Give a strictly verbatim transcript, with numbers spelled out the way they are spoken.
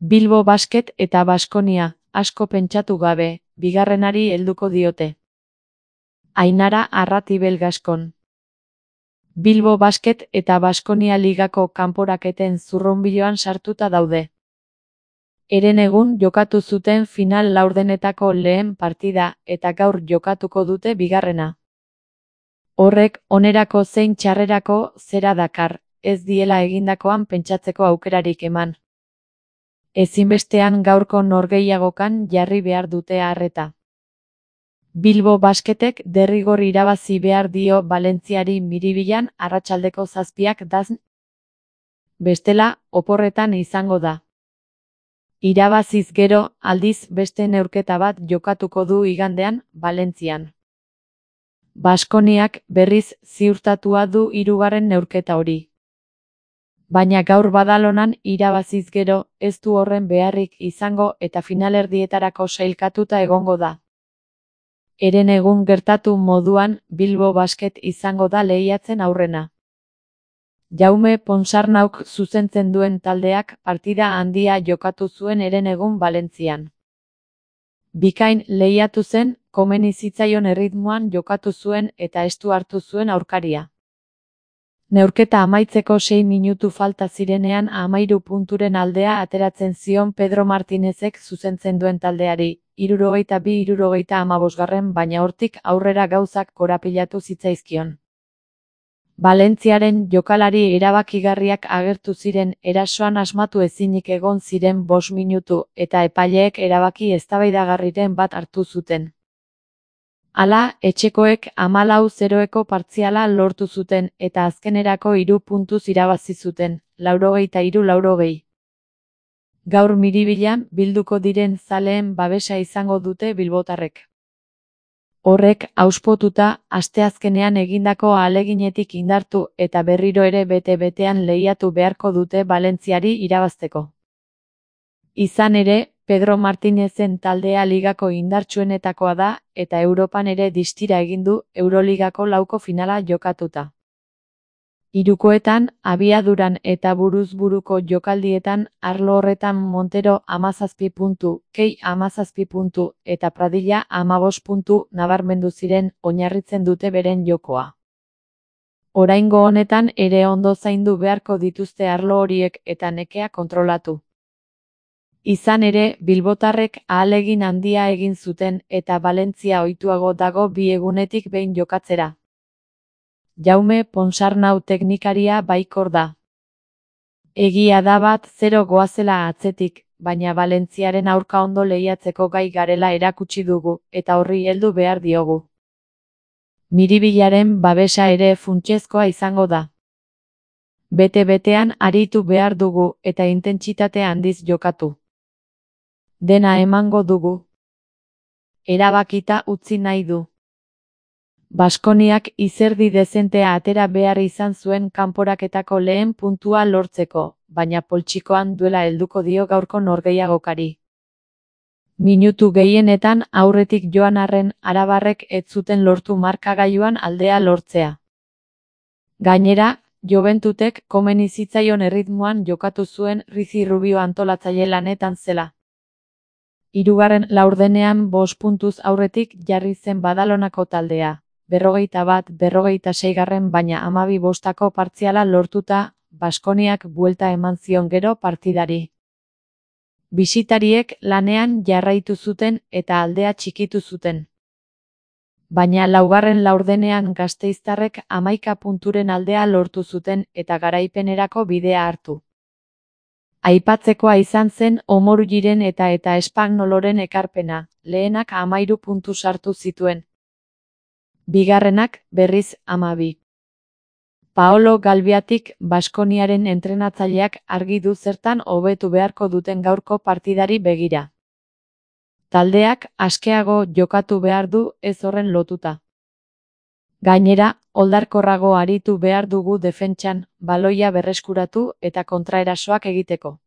Bilbo Basket eta Baskonia, asko pentsatu gabe, bigarrenari helduko diote. Ainara Arratibel Gaskon. Bilbo Basket eta Baskonia ligako kanporaketen zurrunbiloan sartuta daude. Herenegun jokatu zuten final laurdenetako lehen partida eta gaur jokatuko dute bigarrena. Horrek onerako zein txarrerako zera dakar, ez diela egindakoan pentsatzeko aukerarik eman. Ezinbestean gaurko norgehiagokan jarri behar dute arreta. Bilbo Basketek derrigor irabazi behar dio Valentziari Miribilan arratsaldeko zazpiak dazn. Bestela, oporretan izango da. Irabaziz gero, aldiz beste neurketa bat jokatuko du igandean, Valentzian. Baskoniak berriz ziurtatua du hirugarren neurketa hori. Baina gaur Badalonan irabaziz gero, ez du horren beharrik izango eta finalerdietarako sailkatuta egongo da. Herenegun gertatu moduan, Bilbo Basket izango da lehiatzen aurrena. Jaume Ponsarnauk zuzentzen duen taldeak partida handia jokatu zuen herenegun Valentzian. Bikain lehiatu zen, komeni zitzaion erritmoan jokatu zuen eta estu hartu zuen aurkaria. Neurketa amaitzeko sei minutu falta zirenean hamahiru punturen aldea ateratzen zion Pedro Martinezek zuzentzen duen taldeari, hirurogeita bi hirurogeita hamabosgarren baina hortik aurrera gauzak korapilatu zitzaizkion. Valentziaren jokalari erabakigarriak agertu ziren erasoan asmatu ezinik egon ziren bost minutu eta epaileek erabaki eztabaidagarriren bat hartu zuten. Hala, etxekoek hamalau zeroeko partziala lortu zuten eta azkenerako hiru puntuz irabazi zuten, laurogeita hiru laurogei. Gaur Miribilan bilduko diren zaleen babesa izango dute bilbotarrek. Horrek, auspotuta, asteazkenean egindako ahaleginetik indartu eta berriro ere bete-betean lehiatu beharko dute Valentziari irabazteko. Izan ere, Pedro Martinezen taldea ligako indartsuenetakoa da eta Europan ere distira egin du Euroligako lauko finala jokatuta. Hirukoetan, abiaduran eta buruz-buruko jokaldietan arlo horretan Montero hamazazpi puntu, Kei hamazazpi puntu eta Pradilla hamabost puntu nabarmendu ziren oinarritzen dute beren jokoa. Oraingo honetan ere ondo zaindu beharko dituzte arlo horiek eta nekea kontrolatu. Izan ere, bilbotarrek ahalegin handia egin zuten eta Valentzia ohituago dago bi egunetik behin jokatzera. Jaume Ponsarnau teknikaria baikor da. Egia da bat zero goazela atzetik, baina Valentziaren aurka ondo lehiatzeko gai garela erakutsi dugu eta horri heldu behar diogu. Miribilaren babesa ere funtsezkoa izango da. Bete-betean aritu behar dugu eta intentsitate handiz jokatu. Dena emango dugu. Erabakita utzi nahi du. Baskoniak izerdi dezentea atera behar izan zuen kanporaketako lehen puntua lortzeko, baina poltsikoan duela helduko dio gaurko norgehiagokari. Minutu gehienetan aurretik joan arren arabarrek ez zuten lortu markagailuan aldea lortzea. Gainera, Joventutek komeni zitzaion erritmoan jokatu zuen Rizi Rubio antolatzaile lanetan zela. Hirugarren laurdenean bost puntuz aurretik jarri zen Badalonako taldea, berrogeita bat berrogeita seigarren baina hamabi bostako partziala lortuta, Baskoniak buelta eman zion gero partidari. Bisitariek lanean jarraitu zuten eta aldea txikitu zuten. Baina laugarren laurdenean gasteiztarrek hamaika punturen aldea lortu zuten eta garaipenerako bidea hartu. Aipatzekoa izan zen Omorugiren eta eta Espagnoloren ekarpena, lehenak hamahiru puntu sartu zituen. Bigarrenak, berriz, hamabi. Paolo Galbiatik, Baskoniaren entrenatzaileak argi du zertan hobetu beharko duten gaurko partidari begira. Taldeak askeago jokatu behar du ez horren lotuta. Gainera, oldarkorrago aritu behar dugu defentsan, baloia berreskuratu eta kontraerasoak egiteko.